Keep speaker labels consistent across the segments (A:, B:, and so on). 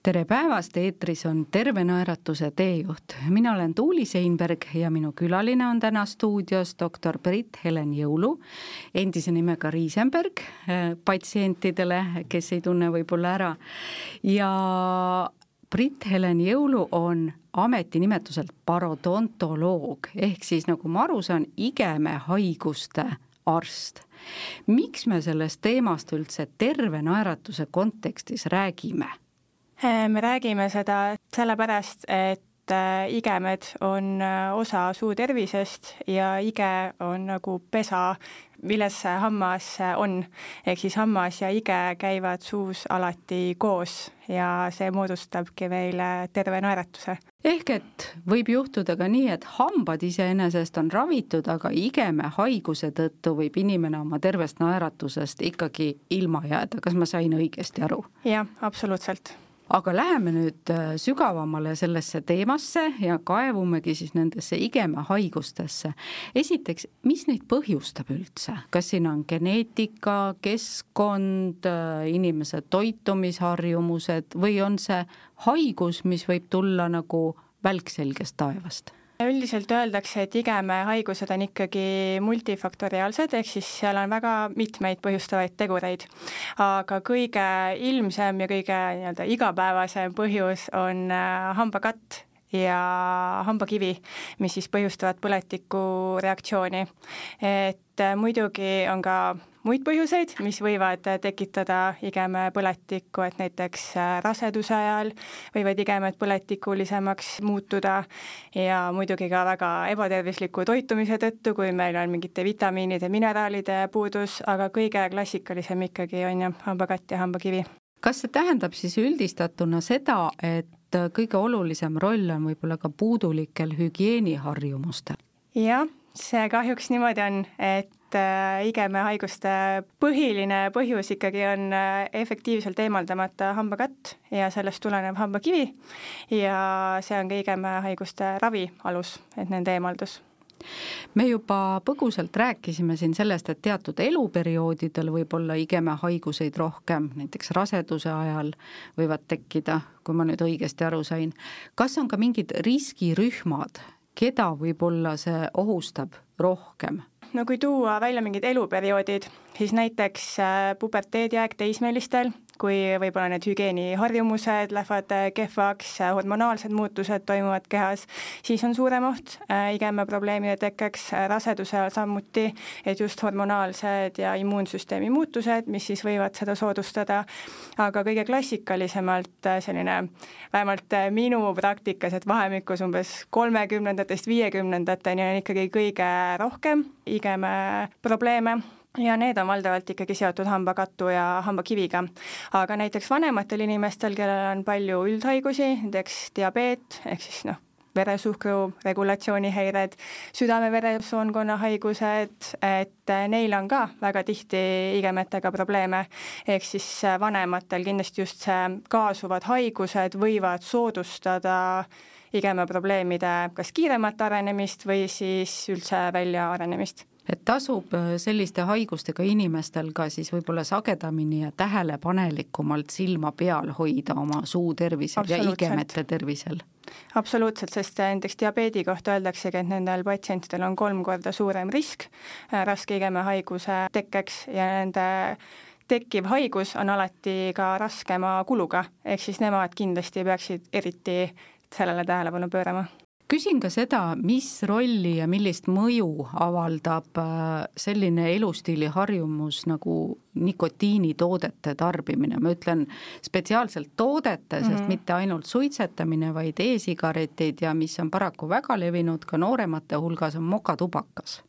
A: Tere päevast, eetris on Terve naeratuse teejuht. Mina olen Tuuli Seinberg ja minu külaline on täna stuudios doktor Brit-Helen Jõulu, endise nimega Riisenberg patsientidele, kes ei tunne võib-olla ära. Ja Brit-Helen Jõulu on ametinimetuselt parodontoloog, ehk siis nagu ma aru saan, igemehaiguste arst. Miks me sellest teemast üldse terve naeratuse kontekstis räägime?
B: Me räägime seda sellepärast, et igemed on osa suu tervisest ja ige on nagu pesa, milles hammas on. Ehk siis hammas ja ige käivad suus alati koos ja see moodustabki meile terve naeratuse.
A: Ehk et võib juhtuda ka nii, et hambad iseenesest on ravitud, aga igemehaiguse tõttu võib inimene oma tervest naeratusest ikkagi ilma jääda. Kas ma sain õigesti aru?
B: Jah, absoluutselt.
A: Aga läheme nüüd sügavamale sellesse teemasse ja kaevumegi siis nendesse igemehaigustesse. Esiteks, mis neid põhjustab üldse? Kas siin on geneetika, keskkond, inimese toitumisharjumused või on see haigus, mis võib tulla nagu välkselgest taevast?
B: Üldiselt öeldakse, et igemehaigused on ikkagi multifaktoriaalsed, ehk siis seal on väga mitmeid põhjustavaid tegureid. Aga kõige ilmsem ja kõige igapäevasem põhjus on hambakatt ja hambakivi, mis siis põhjustavad põletiku reaktsiooni. Et muidugi on ka muid põhjuseid, mis võivad tekitada igeme põletikku, et näiteks raseduse ajal võivad igemed põletikulisemaks muutuda ja muidugi ka väga ebatervisliku toitumise tõttu, kui meil on mingite vitamiinide, mineraalide puudus, aga kõige klassikalisem ikkagi on hambakatt ja hambakivi.
A: Kas see tähendab siis üldistatuna seda, et kõige olulisem roll on võib-olla ka puudulikel hügieeniharjumustel?
B: Jah, see kahjuks niimoodi on, et igemehaiguste põhiline põhjus ikkagi on efektiivselt eemaldamata hambakatt ja sellest tulenev hambakivi ja see on ka igemehaiguste ravi alus, et nende eemaldus.
A: Me juba põgusalt rääkisime siin sellest, et teatud eluperioodidel võib olla igemehaiguseid rohkem, näiteks raseduse ajal võivad tekkida, kui ma nüüd õigesti aru sain. Kas on ka mingid riskirühmad, keda võib-olla see ohustab rohkem?
B: No kui tuua välja mingid eluperioodid, siis näiteks puberteediaeg teismelistel, kui võib-olla need hügieeniharjumused lähevad kehvaks, hormonaalsed muutused toimuvad kehas, siis on suurem oht igemeprobleemide tekkeks, raseduse samuti, et just hormonaalsed ja immuunsüsteemi muutused, mis siis võivad seda soodustada, aga kõige klassikalisemalt selline, vähemalt minu praktikas, et vahemikus umbes 30-ndatest 50-ndateni on ikkagi kõige rohkem igeme probleeme. Ja need on valdavalt ikkagi seotud hambakattu ja hambakiviga. Aga näiteks vanematel inimestel, kellel on palju üldhaigusi, näiteks diabeet, ehk siis veresuhkru regulatsioonihäired, südame-veresoonkonna haigused, et neil on ka väga tihti igemetega probleeme. Ehk siis vanematel kindlasti just see kaasuvad haigused võivad soodustada igemeprobleemide kas kiiremat arenemist või siis üldse välja arenemist.
A: Et tasub selliste haigustega inimestel ka siis võib-olla sagedamini ja tähelepanelikumalt silma peal hoida oma suu tervisel ja igemete tervisel.
B: Absoluutselt, sest näiteks diabeedi kohta öeldaksegi, et nendel patsientidel on 3 korda suurem risk raske igemehaiguse tekkeks ja nende tekkiv haigus on alati ka raskema kuluga, ehk siis nemad kindlasti peaksid eriti sellele tähelepanu pöörama.
A: Küsin ka seda, mis rolli ja millist mõju avaldab selline elustiili harjumus nagu nikotiinitoodete tarbimine. Ma ütlen spetsiaalselt toodete, sest mitte ainult suitsetamine, vaid e-sigaretid ja mis on paraku väga levinud ka nooremate hulgas on mokatubakas,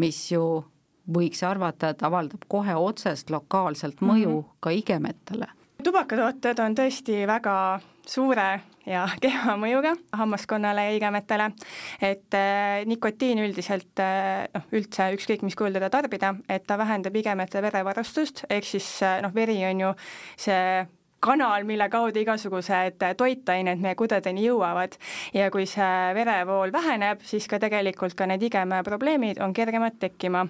A: mis ju võiks arvata, et avaldab kohe otsest lokaalselt mõju ka igemetele.
B: Tubakatooted on tõesti väga suure ja kehva mõjuga hammaskonnale ja igemetele, et nikotiin üldiselt, üldse ükskõik mis kujul teda tarbida, et ta vähendab igemete verevarustust, ehk siis veri on ju see kanal, mille kaudu igasugused toitained meie kudedeni jõuavad ja kui see verevool väheneb, siis ka tegelikult ka need igemeprobleemid on kergemad tekkima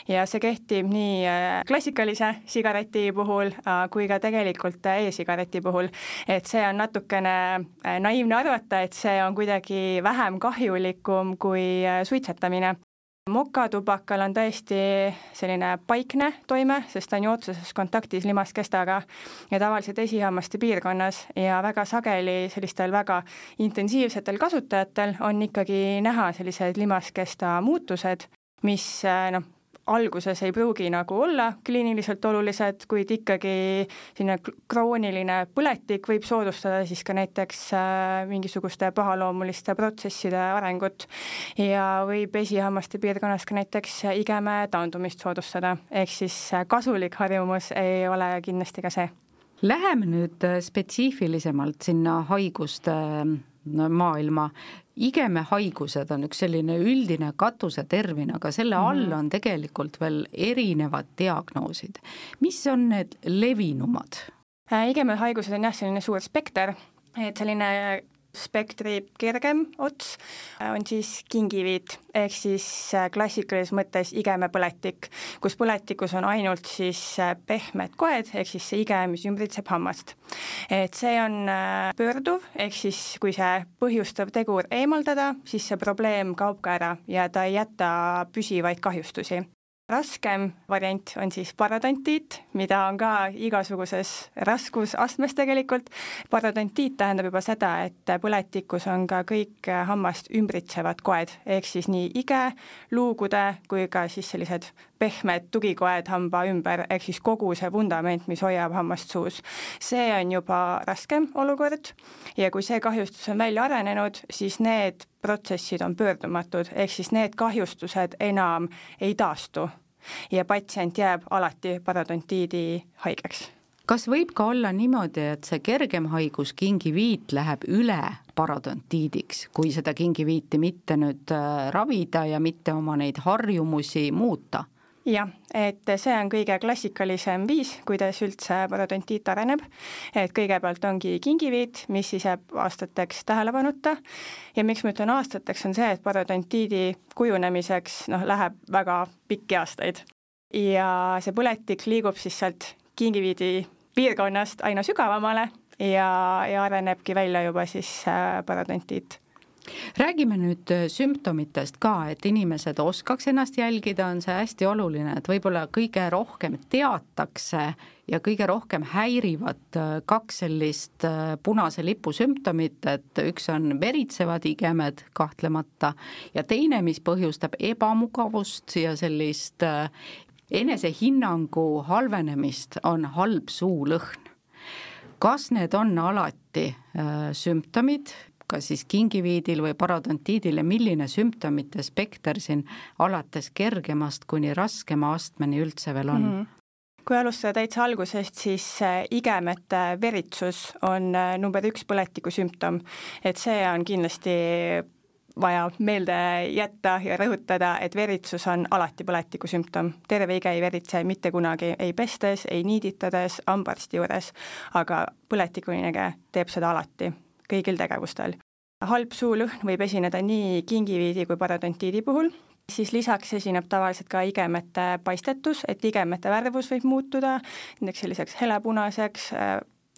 B: ja see kehtib nii klassikalise sigareti puhul kui ka tegelikult e-sigareti puhul, et see on natukene naiivne arvata, et see on kuidagi vähem kahjulikum kui suitsetamine. Mokatubakal on tõesti selline paikne toime, sest ta on ju otseses kontaktis limaskestaga ja tavaliselt esihammaste piirkonnas ja väga sageli sellistel väga intensiivsetel kasutajatel on ikkagi näha sellised limaskesta muutused, mis alguses ei pruugi nagu olla kliiniliselt olulised, kuid ikkagi selline krooniline põletik võib soodustada siis ka näiteks mingisuguste pahaloomuliste protsesside arengut ja võib esihammaste piirkonnas ka näiteks igeme taandumist soodustada, ehk siis kasulik harjumus ei ole kindlasti ka see.
A: Läheme nüüd spetsiifilisemalt sinna haiguste maailma. Igemehaigused on üks selline üldine katusetermin, aga selle all on tegelikult veel erinevad diagnoosid. Mis on need levinumad?
B: Igemehaigused on jah selline suur spekter, et selline spektri kergem ots on siis kingiviit, ehk siis klassikalises mõttes igemepõletik, kus põletikus on ainult siis pehmed koed, ehk siis see ige, mis ümbritseb hammast. Et see on pöörduv, ehk siis kui see põhjustav tegur eemaldada, siis see probleem kaob ka ära ja ta ei jäta püsivaid kahjustusi. Raskem variant on siis parodontiit, mida on ka igasuguses raskusastmes tegelikult. Parodontiit tähendab juba seda, et põletikus on ka kõik hammast ümbritsevad koed, ehk siis nii ige, luugude kui ka siis sellised pehmed tugikoed hamba ümber, ehk siis kogu see vundament, mis hoiab hammast suus. See on juba raskem olukord ja kui see kahjustus on välja arenenud, siis need protsessid on pöördumatud, ehk siis need kahjustused enam ei taastu ja patsient jääb alati parodontiidi haigeks.
A: Kas võib ka olla niimoodi, et see kergem haigus kingiviit läheb üle parodontiidiks, kui seda kingiviiti mitte nüüd ravida ja mitte oma neid harjumusi muuta?
B: Jah, et see on kõige klassikalisem viis, kuidas üldse parodontiit areneb, et kõigepealt ongi kingiviit, mis siis jääb aastateks tähelepanuta ja miks ma ütlen aastateks on see, et parodontiidi kujunemiseks läheb väga pikki aastaid ja see põletik liigub siis sealt kingiviidi piirkonnast aina sügavamale ja arenebki välja juba siis parodontiit.
A: Räägime nüüd sümptomitest ka, et inimesed oskaks ennast jälgida, on see hästi oluline, et võib-olla kõige rohkem teatakse ja kõige rohkem häirivad kaks sellist punase lipu sümptomit, et üks on veritsevad igemed kahtlemata ja teine, mis põhjustab ebamugavust ja sellist enesehinnangu halvenemist, on halb suulõhn. Kas need on alati sümptomid, kas siis kingiviidil või parodontiidil ja milline sümptomite spekter siin alates kergemast kuni raskema astmeni üldse veel on?
B: Kui alustada täitsa algusest, siis igemete veritsus on number 1 põletiku sümptom, et see on kindlasti vaja meelde jätta ja rõhutada, et veritsus on alati põletiku sümptom. Terve ige ei veritse mitte kunagi, ei pestes, ei niiditades, hambaarsti juures, aga põletikuinege teeb seda alati kõigil tegevustel. Halb suulõhn võib esineda nii kingiviidi kui parodontiidi puhul, siis lisaks esineb tavaliselt ka igemete paistetus, et igemete värvus võib muutuda, näiteks selliseks helepunaseks,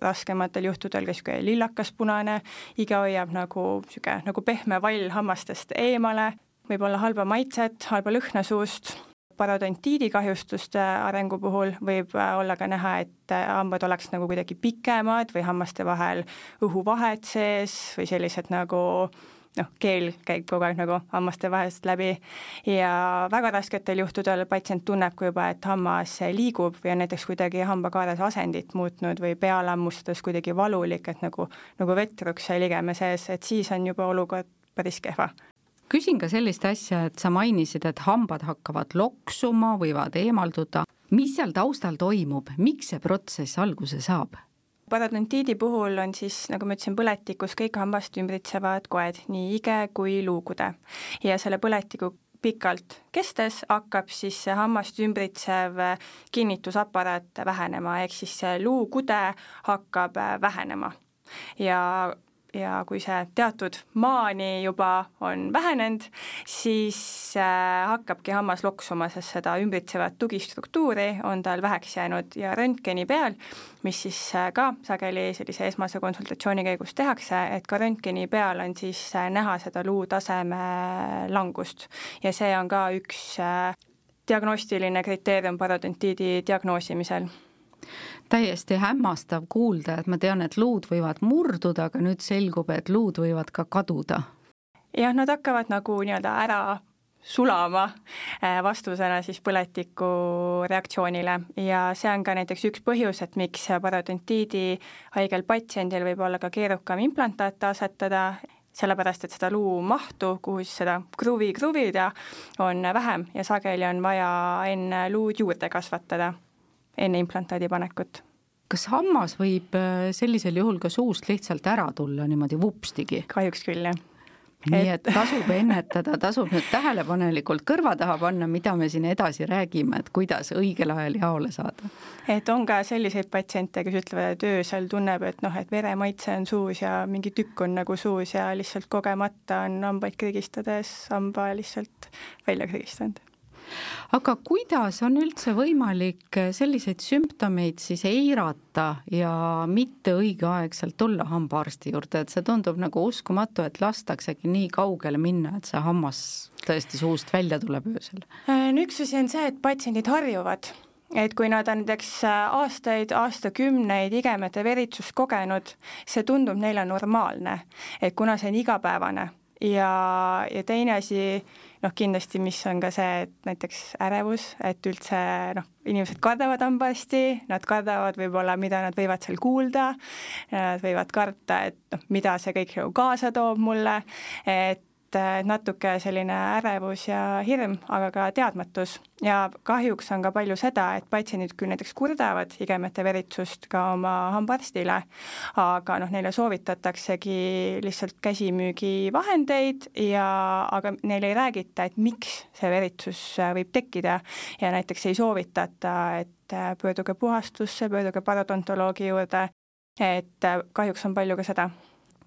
B: raskematel juhtudel ka lillakaspunane, ige hoiab nagu pehme vall hammastest eemale, võib olla halba maitset, halba lõhna suust. Parodontiidi kahjustuste arengu puhul võib olla ka näha, et hambad oleks nagu kuidagi pikemad või hammaste vahel õhuvahed sees või sellised keel käib kogu aeg nagu hammaste vahest läbi ja väga rasketel juhtudel patsient tunneb kui juba, et hammas liigub või on näiteks kuidagi hambakaares asendit muutnud või pealammustades kuidagi valulik, et nagu vetruks ligeme sees, et siis on juba olukord päris kehva.
A: Küsin ka sellist asja, et sa mainisid, et hambad hakkavad loksuma, võivad eemalduda. Mis seal taustal toimub? Miks see protsess alguse saab?
B: Parodontiidi puhul on siis, nagu ma ütlesin, põletikus kõik hambast ümbritsevad koed, nii ige kui luugude. Ja selle põletiku pikalt kestes hakkab siis see hammast ümbritsev kinnitusaparaat vähenema, ehk siis see luukude hakkab vähenema. Ja kui see teatud maani juba on vähenenud, siis hakkabki hammas loksuma, sest seda ümbritsevat tugistruktuuri on tal väheks jäänud ja röntgeni peal, mis siis ka sageli sellise esmase konsultatsiooni käigus tehakse, et ka röntgeni peal on siis näha seda luutaseme langust ja see on ka üks diagnostiline kriteerium parodontiidi diagnoosimisel.
A: Täiesti hämmastav kuulda, et ma tean, et luud võivad murduda, aga nüüd selgub, et luud võivad ka kaduda.
B: Jah, nad hakkavad nagu nii-öelda ära sulama vastusena siis põletiku reaktsioonile ja see on ka näiteks üks põhjus, et miks parodontiidi haigel patsiendil võib olla ka keerukam implantaate asetada, sellepärast, et seda luu mahtu, kuhu siis seda kruvi kruvida, on vähem ja sageli on vaja enne luud juurde kasvatada enne implantaadi panekut.
A: Kas hammas võib sellisel juhul ka suust lihtsalt ära tulla niimoodi vupstigi?
B: Kahjuks küll, jah.
A: Nii et tasub ennetada, tasub nüüd tähelepanelikult kõrva taha panna, mida me siin edasi räägime, et kuidas õigel ajal jaole saada.
B: Et on ka selliseid patsiente, kes ütlevad, et öösel tunneb, et et veremaitse on suus ja mingi tükk on nagu suus ja lihtsalt kogemata on hambaid krigistades hamba lihtsalt välja krigistanud.
A: Aga kuidas on üldse võimalik selliseid sümptomeid siis eirata ja mitte õigeaegselt tulla hambaarsti juurde, et see tundub nagu uskumatu, et lastaksegi nii kaugele minna, et see hammas tõesti suust välja tuleb öösel?
B: Üks asi on see, et patsiendid harjuvad, et kui nad on näiteks aastakümneid igemete veritsust kogenud, see tundub neile normaalne, et kuna see on igapäevane ja teine asi, kindlasti, mis on ka see, et näiteks ärevus, et üldse inimesed kardavad hambaarsti, nad kardavad võib-olla, mida nad võivad seal kuulda, nad võivad karta, et mida see kõik kaasa toob mulle, et natuke selline ärevus ja hirm, aga ka teadmatus ja kahjuks on ka palju seda, et patsiendid küll näiteks kurdavad igemete veritsust ka oma hambaarstile, aga neile soovitataksegi lihtsalt käsimüügivahendeid aga neile ei räägita, et miks see veritsus võib tekkida ja näiteks ei soovitata, et pöörduge puhastusse, pöörduge parodontoloogi juurde, et kahjuks on palju ka seda.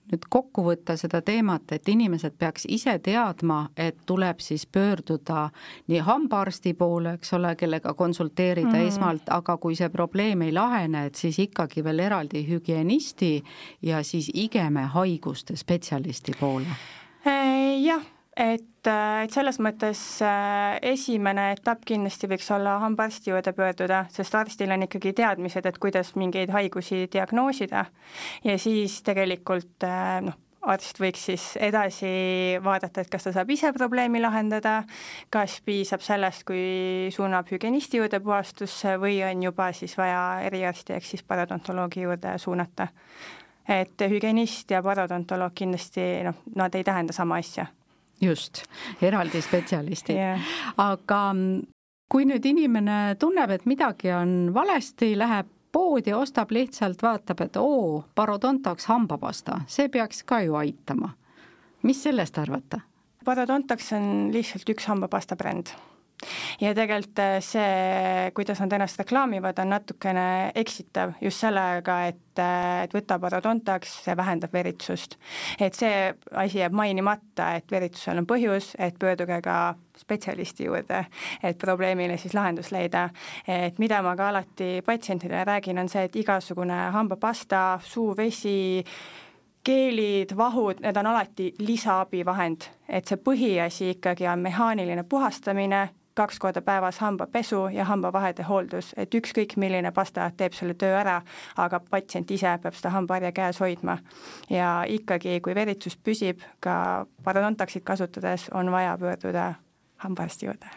A: Nüüd kokku võtta seda teemat, et inimesed peaks ise teadma, et tuleb siis pöörduda nii hambaarsti poole, eks ole, kellega konsulteerida esmalt, aga kui see probleem ei lahene, et siis ikkagi veel eraldi hügienisti ja siis igeme haiguste spetsialisti poole.
B: Jah, et selles mõttes esimene etapp kindlasti võiks olla hambaarsti juurde pöörduda, sest arstil on ikkagi teadmised, et kuidas mingeid haigusi diagnoosida ja siis tegelikult arst võiks siis edasi vaadata, et kas ta saab ise probleemi lahendada, kas piisab sellest, kui suunab hügienisti juurde puhastusse või on juba siis vaja eriarsti ehk siis parodontoloogi juurde suunata. Et hügienist ja parodontoloog kindlasti, nad ei tähenda sama asja.
A: Just, eraldi spetsialisti.
B: Yeah.
A: Aga kui nüüd inimene tunneb, et midagi on valesti, läheb poodi, ostab lihtsalt, vaatab, et parodontax hambapasta, see peaks ka ju aitama. Mis sellest arvata?
B: Parodontax on lihtsalt üks hambapasta bränd. Ja tegelikult see, kuidas nad ennast reklaamivad, on natukene eksitav just sellega, et võtta parodontax, see vähendab veritsust. Et see asi jääb mainimata, et veritsusel on põhjus, et pöörduge ka spetsialisti juurde, et probleemile siis lahendus leida. Et mida ma ka alati patsientidele räägin, on see, et igasugune hambapasta, suuvesi, keelid, vahud, need on alati lisaabivahend, et see põhiasi ikkagi on mehaaniline puhastamine, 2 korda päevas hambapesu ja hambavahede hooldus, et ükskõik milline pasta teeb selle töö ära, aga patsient ise peab seda hambaharja käes hoidma. Ja ikkagi, kui veritsus püsib, ka parodontaxit kasutades on vaja pöörduda hambaarsti juurde.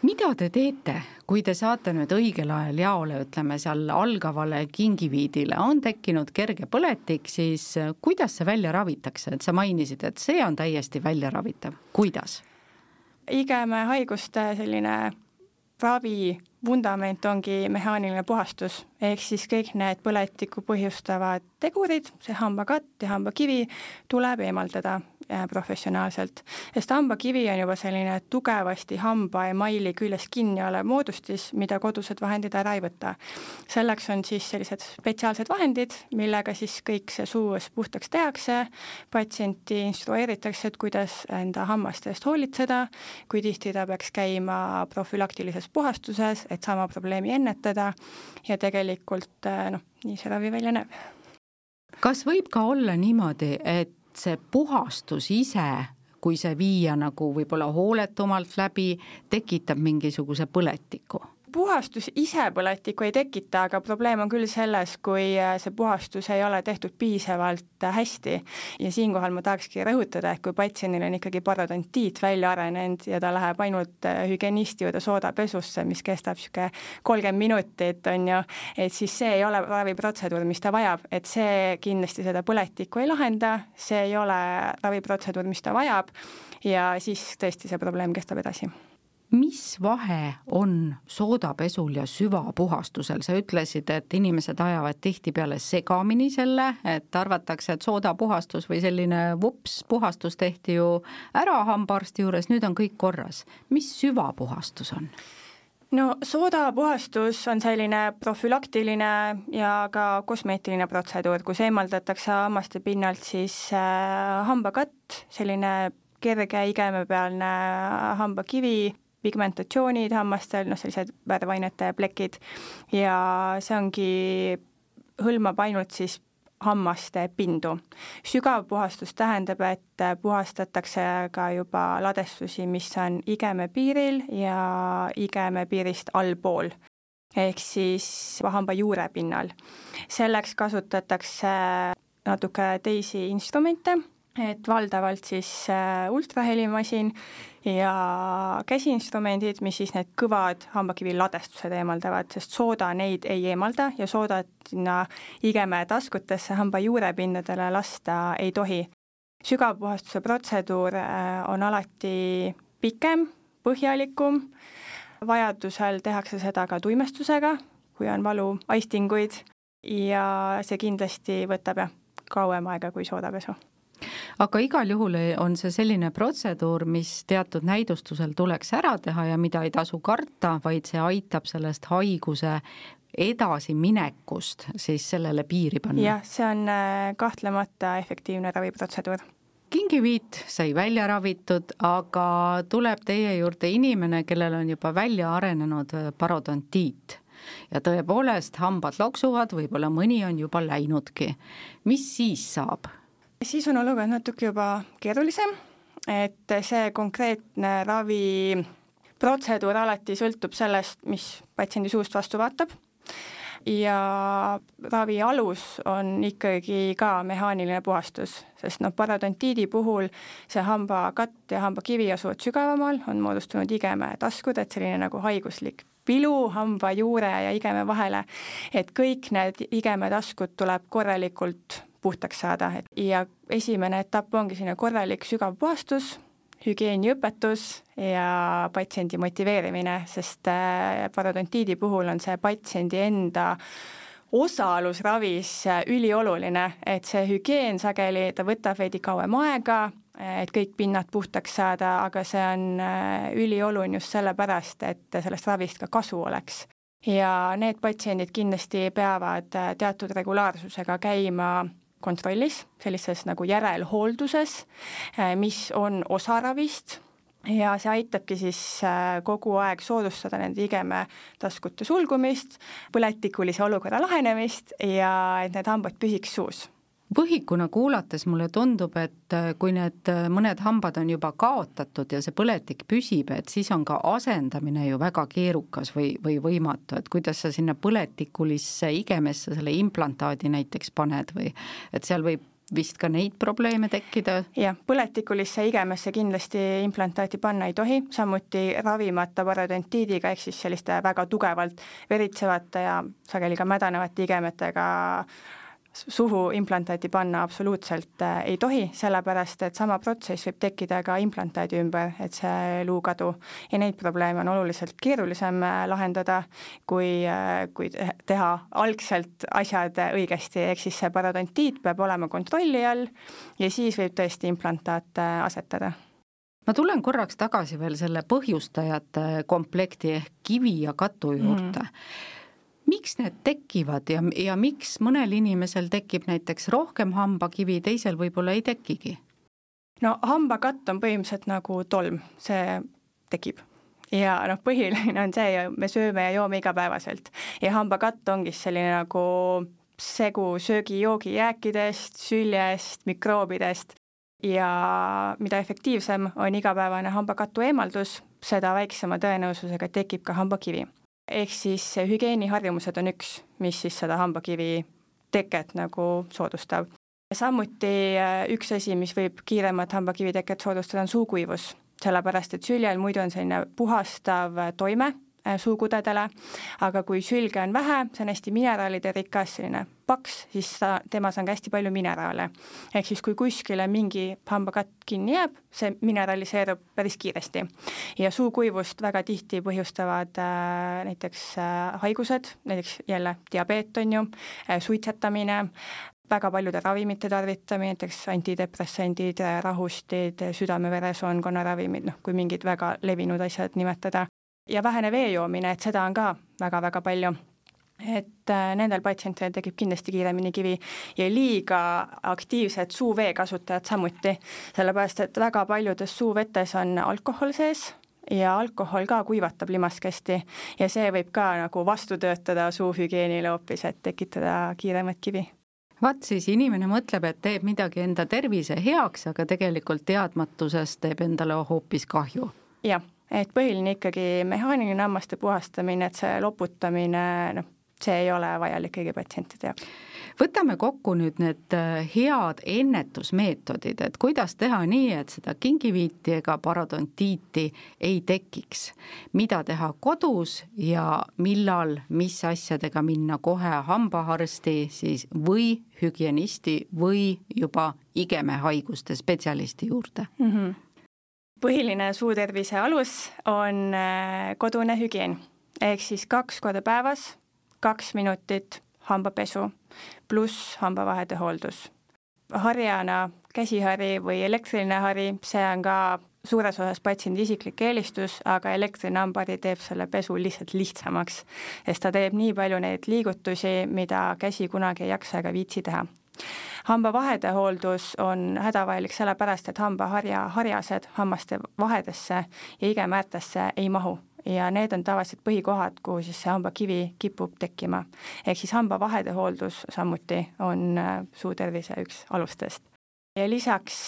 A: Mida te teete, kui te saate nüüd õigel ajal jaole, ütleme seal algavale kingiviidile, on tekkinud kerge põletik, siis kuidas see välja ravitakse? Et sa mainisid, et see on täiesti välja ravitav. Kuidas?
B: Igeme haiguste selline ravi vundament ongi mehaaniline puhastus, ehk siis kõik need põletikku põhjustavad tegurid, see hambakatt ja hambakivi tuleb eemaldada professionaalselt, sest hambakivi on juba selline tugevasti hamba emaili küljes kinni olev moodustis, mida kodused vahendid ära ei võta. Selleks on siis sellised spetsiaalsed vahendid, millega siis kõik see suus puhtaks tehakse, patsienti instrueeritakse, et kuidas enda hammaste eest hoolitseda, kui tihti ta peaks käima profülaktilises puhastuses, et sama probleemi ennetada ja tegelikult nii see ravi välja näeb.
A: Kas võib ka olla niimoodi, et see puhastus ise, kui see viia nagu võib-olla hooletumalt läbi, tekitab mingisuguse põletiku?
B: Puhastus ise põletikku ei tekita, aga probleem on küll selles, kui see puhastus ei ole tehtud piisavalt hästi. Ja siinkohal ma tahakski rõhutada, et kui patsiendil on ikkagi parodontiit välja arenenud ja ta läheb ainult hügienisti juurde soodapesusse, mis kestab 30 minutit, on ju, et siis see ei ole raviprotseduur, mis ta vajab, et see kindlasti seda põletikku ei lahenda, see ei ole raviprotseduur, mis ta vajab ja siis tõesti see probleem kestab edasi.
A: Mis vahe on soodapesul ja süvapuhastusel? Sa ütlesid, et inimesed ajavad tihtipeale segamini selle, et arvatakse, et soodapuhastus või selline puhastus tehti ju ära hambaarsti juures, nüüd on kõik korras. Mis süvapuhastus on?
B: No soodapuhastus on selline profülaktiline ja ka kosmeetiline protseduur, kus eemaldatakse hammaste pinnalt siis hambakatt, selline kerge igemepealne hambakivi, pigmentatsioonid hammastel, sellised värvainete plekid ja see ongi, hõlmab ainult siis hammaste pindu. Sügav puhastus tähendab, et puhastatakse ka juba ladestusi, mis on igemepiiril ja igemepiirist allpool, ehk siis hamba juure pinnal. Selleks kasutatakse natuke teisi instrumente, et valdavalt siis ultrahelimasin ja käsiinstrumendid, mis siis need kõvad hambakivi ladestused eemaldavad, sest sooda neid ei eemalda ja soodat sinna igeme taskutesse hamba juurepindadele lasta ei tohi. Sügavpuhastuse protseduur on alati pikem, põhjalikum, vajadusel tehakse seda ka tuimestusega, kui on valu aistinguid ja see kindlasti võtab kauem aega kui soodapesu.
A: Aga igal juhul on see selline protseduur, mis teatud näidustusel tuleks ära teha ja mida ei tasu karta, vaid see aitab sellest haiguse edasi minekust siis sellele piiri panna.
B: Jah, see on kahtlemata efektiivne raviprotseduur.
A: Kingiviit sai välja ravitud, aga tuleb teie juurde inimene, kellel on juba välja arenenud parodontiit. Ja tõepoolest hambad loksuvad, võib-olla mõni on juba läinudki. Mis siis saab?
B: Siis on olukord natuke juba keerulisem, et see konkreetne raviprotseduur alati sõltub sellest, mis patsiendi suust vastu vaatab ja ravi alus on ikkagi ka mehaaniline puhastus, sest parodontiidi puhul see hambakatt ja hambakivi asuvad sügavamal, on moodustunud igeme taskud, et selline nagu haiguslik pilu hamba juure ja igeme vahele, et kõik need igeme taskud tuleb korralikult puhtaks saada ja esimene etapp ongi selline korralik sügav puhastus, hügieeniõpetus ja patsiendi motiveerimine, sest parodontiidi puhul on see patsiendi enda osalus ravis ülioluline, et see hügieen sageli, ta võtab veidi kauem aega, et kõik pinnad puhtaks saada, aga see on ülioluline just sellepärast, et sellest ravist ka kasu oleks. Ja need patsiendid kindlasti peavad teatud regulaarsusega käima kontrollis, sellises nagu järelhoolduses, mis on osa ravist ja see aitabki siis kogu aeg soodustada nende igeme taskute sulgumist, põletikulise olukorra lahenemist ja et need hambad püsiks suus.
A: Võhikuna kuulates mulle tundub, et kui need mõned hambad on juba kaotatud ja see põletik püsib, et siis on ka asendamine ju väga keerukas või võimatu, et kuidas sa sinna põletikulisse igemesse selle implantaadi näiteks paned või et seal võib vist ka neid probleeme tekkida?
B: Jah, põletikulisse igemesse kindlasti implantaati panna ei tohi, samuti ravimata parodontiidiga ehk siis selliste väga tugevalt veritsevate ja sageli ka mädanevate igemetega suhu implantaati panna absoluutselt ei tohi, sellepärast et sama protsess võib tekkida ka implantaadi ümber, et see luukadu. Ja neid probleeme on oluliselt keerulisem lahendada, kui teha algselt asjad õigesti, ehk siis see parodontiit peab olema kontrolli all ja siis võib tõesti implantaat asetada.
A: Ma tulen korraks tagasi veel selle põhjustajate komplekti ehk kivi ja katu juurde. Miks need tekivad ja miks mõnel inimesel tekib näiteks rohkem hambakivi, teisel võib-olla ei tekigi?
B: No hambakatt on põhimõtteliselt nagu tolm, see tekib. Ja põhiline on see, me sööme ja joome igapäevaselt. Ja hambakatt ongi selline nagu segu söögi-joogi jääkidest, süljest, mikroobidest. Ja mida efektiivsem on igapäevane hambakatu eemaldus, seda väiksema tõenäosusega tekib ka hambakivi. Ehk siis hügieeniharjumused on üks, mis siis seda hambakivi teket nagu soodustab. Samuti üks asi, mis võib kiiremat hambakivi teket soodustada, on suukuivus, sellepärast et süljel muidu on selline puhastav toime suukudedele, aga kui sülge on vähe, see on hästi mineraalide rikas, selline paks, siis temas on ka hästi palju mineraale. Ehk siis kui kuskile mingi hambakatt kinni jääb, see mineraliseerub päris kiiresti. Ja suukuivust väga tihti põhjustavad näiteks haigused, näiteks jälle diabeet on ju, suitsetamine, väga paljude ravimite tarvitamine, näiteks antidepressandid, rahustid, südame-veresoonkonna ravimid, kui mingid väga levinud asjad nimetada. Ja vähene vee joomine, et seda on ka väga-väga palju. Et nendel patsientidel tekib kindlasti kiiremini kivi ja liiga aktiivsed suuvee kasutajad samuti, sellepärast et väga paljudes suuvetes on alkohol sees ja alkohol ka kuivatab limaskesti ja see võib ka nagu vastu töötada suuhügieenile hoopis, et tekitada kiiremat kivi.
A: Vaat siis inimene mõtleb, et teeb midagi enda tervise heaks, aga tegelikult teadmatusest teeb endale hoopis kahju.
B: Jah. Et põhiline ikkagi mehaaniline hammaste puhastamine, et see loputamine, see ei ole vajalik kõigi patsientide jaoks.
A: Võtame kokku nüüd need head ennetusmeetodid, et kuidas teha nii, et seda kingiviiti ega parodontiiti ei tekiks. Mida teha kodus ja millal, mis asjadega minna kohe hambaarsti siis või hügienisti või juba igemehaiguste spetsialisti juurde.
B: Põhiline suutervise alus on kodune hügieen, ehk siis 2 korda päevas, 2 minutit hambapesu pluss hambavahede hooldus. Harjana käsihari või elektriline hari, see on ka suures osas patsiendi isiklik eelistus, aga elektriline hambahari teeb selle pesu lihtsalt lihtsamaks, sest ta teeb nii palju neid liigutusi, mida käsi kunagi ei jaksa ega viitsi teha. Hambavahede hooldus on hädavajalik sellepärast, et hambaharjased hammaste vahedesse ja igemäärtesse ei mahu ja need on tavaliselt põhikohad, kuhu siis see hambakivi kipub tekkima. Ehk siis hambavahede hooldus samuti on suutervise üks alustest. Ja lisaks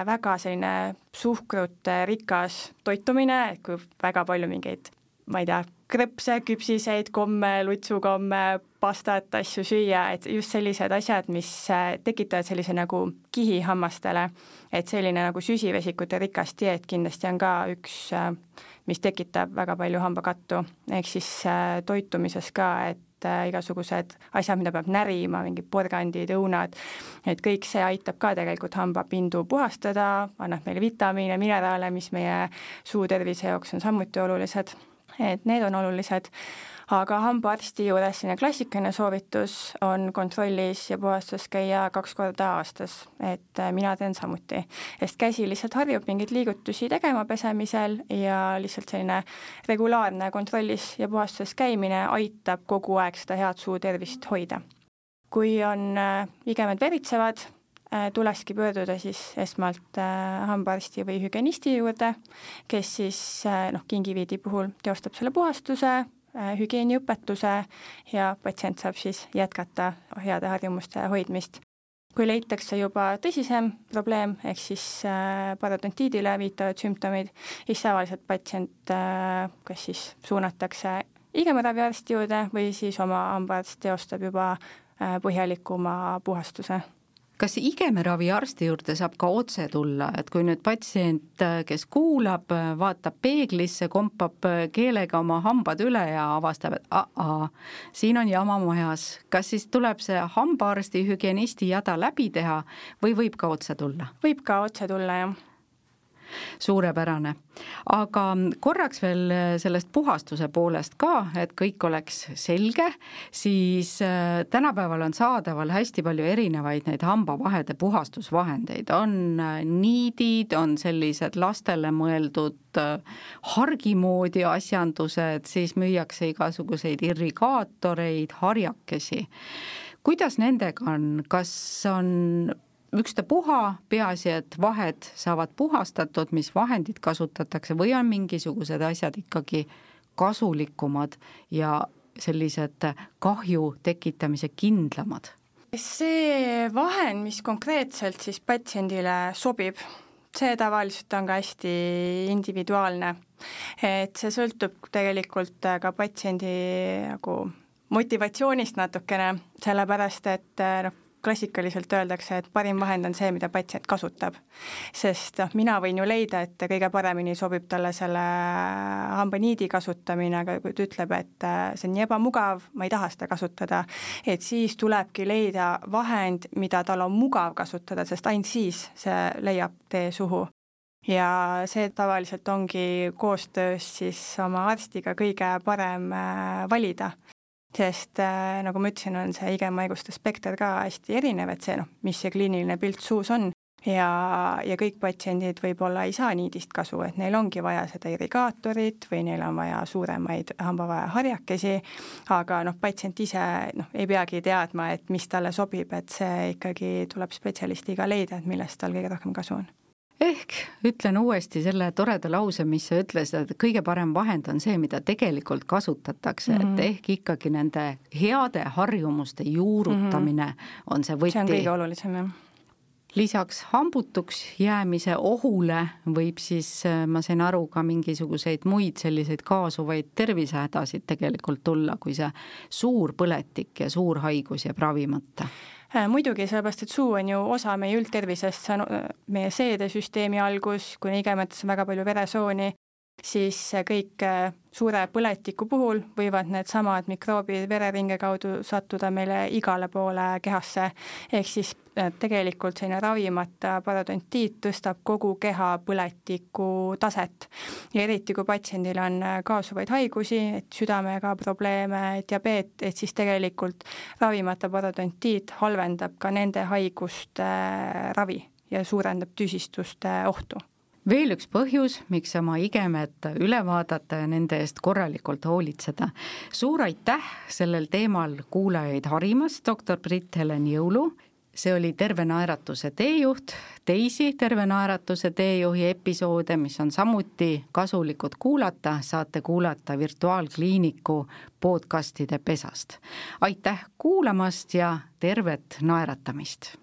B: väga selline suhkrut rikas toitumine, kui väga palju mingeid, ma ei tea, krõpse, küpsiseid, komme, lutsukomme, pastat, asju süüa, et just sellised asjad, mis tekitavad sellise nagu kihi hammastele, et selline nagu süsivesikute rikas dieet kindlasti on ka üks, mis tekitab väga palju hambakattu, ehk siis toitumises ka, et igasugused asjad, mida peab närima, mingi porgandid, õunad, et kõik see aitab ka tegelikult hambapindu puhastada, annab meile vitamiine, mineraale, mis meie suutervise jaoks on samuti olulised. Et need on olulised, aga hambaarsti juures selline klassikaline soovitus on kontrollis ja puhastus käia 2 korda aastas, et mina teen samuti, sest käsi lihtsalt harjub mingeid liigutusi tegema pesemisel ja lihtsalt selline regulaarne kontrollis ja puhastuses käimine aitab kogu aeg seda head suutervist hoida. Kui on igemed veritsevad, tulekski pöörduda siis esmalt hambaarsti või hügienisti juurde, kes siis kingiviidi puhul teostab selle puhastuse, hügieeniõpetuse ja patsient saab siis jätkata heade harjumuste hoidmist. Kui leitakse juba tõsisem probleem, ehk siis parodontiidile viitavad sümptomid, siis tavaliselt patsient kas siis suunatakse igemeraviarsti juurde või siis oma hambaarst teostab juba põhjalikuma puhastuse.
A: Kas igemeraviarsti juurde saab ka otse tulla, et kui nüüd patsient, kes kuulab, vaatab peeglisse, kompab keelega oma hambad üle ja avastab, et siin on jama majas, kas siis tuleb see hambaarsti, hügienisti jada läbi teha või võib ka otse tulla?
B: Võib ka otse tulla, jah.
A: Suurepärane. Aga korraks veel sellest puhastuse poolest ka, et kõik oleks selge, siis tänapäeval on saadaval hästi palju erinevaid neid hambavahede puhastusvahendeid. On niidid, on sellised lastele mõeldud hargimoodi asjandused, siis müüakse igasuguseid irrigaatoreid, harjakesi. Kuidas nendega on? Kas on ükstapuha, peaasi, et vahed saavad puhastatud, mis vahendid kasutatakse või on mingisugused asjad ikkagi kasulikumad ja sellised kahju tekitamise kindlamad?
B: See vahend, mis konkreetselt siis patsiendile sobib, see tavaliselt on ka hästi individuaalne. Et see sõltub tegelikult ka patsiendi nagu motivatsioonist natukene, sellepärast et klassikaliselt öeldakse, et parim vahend on see, mida patsient kasutab. Sest mina võin ju leida, et kõige paremini sobib talle selle hambaniidi kasutamine, aga kui ta ütleb, et see on nii ebamugav, ma ei taha seda kasutada, et siis tulebki leida vahend, mida tal on mugav kasutada, sest ainult siis see leiab tee suhu. Ja see tavaliselt ongi koostöös siis oma arstiga kõige parem valida. Sest nagu ma ütlesin, on see igemaiguste spekter ka hästi erinev, et see, mis see kliiniline pilt suus on ja kõik patsiendid võib-olla ei saa niidist kasu, et neil ongi vaja seda irrigaatorit või neil on vaja suuremaid hambavahe harjakesi, aga patsient ise ei peagi teadma, et mis talle sobib, et see ikkagi tuleb spetsialistiga leida, et millest tal kõige rohkem kasu on.
A: Ehk ütlen uuesti selle toreda lause, mis sa ütlesid, et kõige parem vahend on see, mida tegelikult kasutatakse, et ehk ikkagi nende heade harjumuste juurutamine on see võti.
B: See on kõige olulisem, jah.
A: Lisaks hambutuks jäämise ohule võib siis, ma sain aru, ka mingisuguseid muid selliseid kaasuvaid tervisehädasid tegelikult tulla, kui see suur põletik ja suur haigus jääb ravimata.
B: Muidugi, sellepärast, et suu on ju osa meie üldtervisest, see on meie seedesüsteemi algus, kui igemetes on väga palju veresooni, siis kõik suure põletiku puhul võivad need samad mikroobid vereringe kaudu sattuda meile igale poole kehasse, ehk siis tegelikult selline ravimata parodontiit tõstab kogu keha põletiku taset. Ja eriti, kui patsiendil on kaasuvaid haigusi, et südamega probleeme, diabeet, et siis tegelikult ravimata parodontiit halvendab ka nende haiguste ravi ja suurendab tüsistuste ohtu.
A: Veel üks põhjus, miks oma igemed üle vaadata ja nende eest korralikult hoolitseda. Suur aitäh sellel teemal kuulajaid harimast, doktor Brit-Helen Jõulu. See oli Terve naeratuse teejuht. Teisi Terve naeratuse teejuhi episoode, mis on samuti kasulikud kuulata, saate kuulata Virtuaalkliiniku podcastide pesast. Aitäh kuulamast ja tervet naeratamist!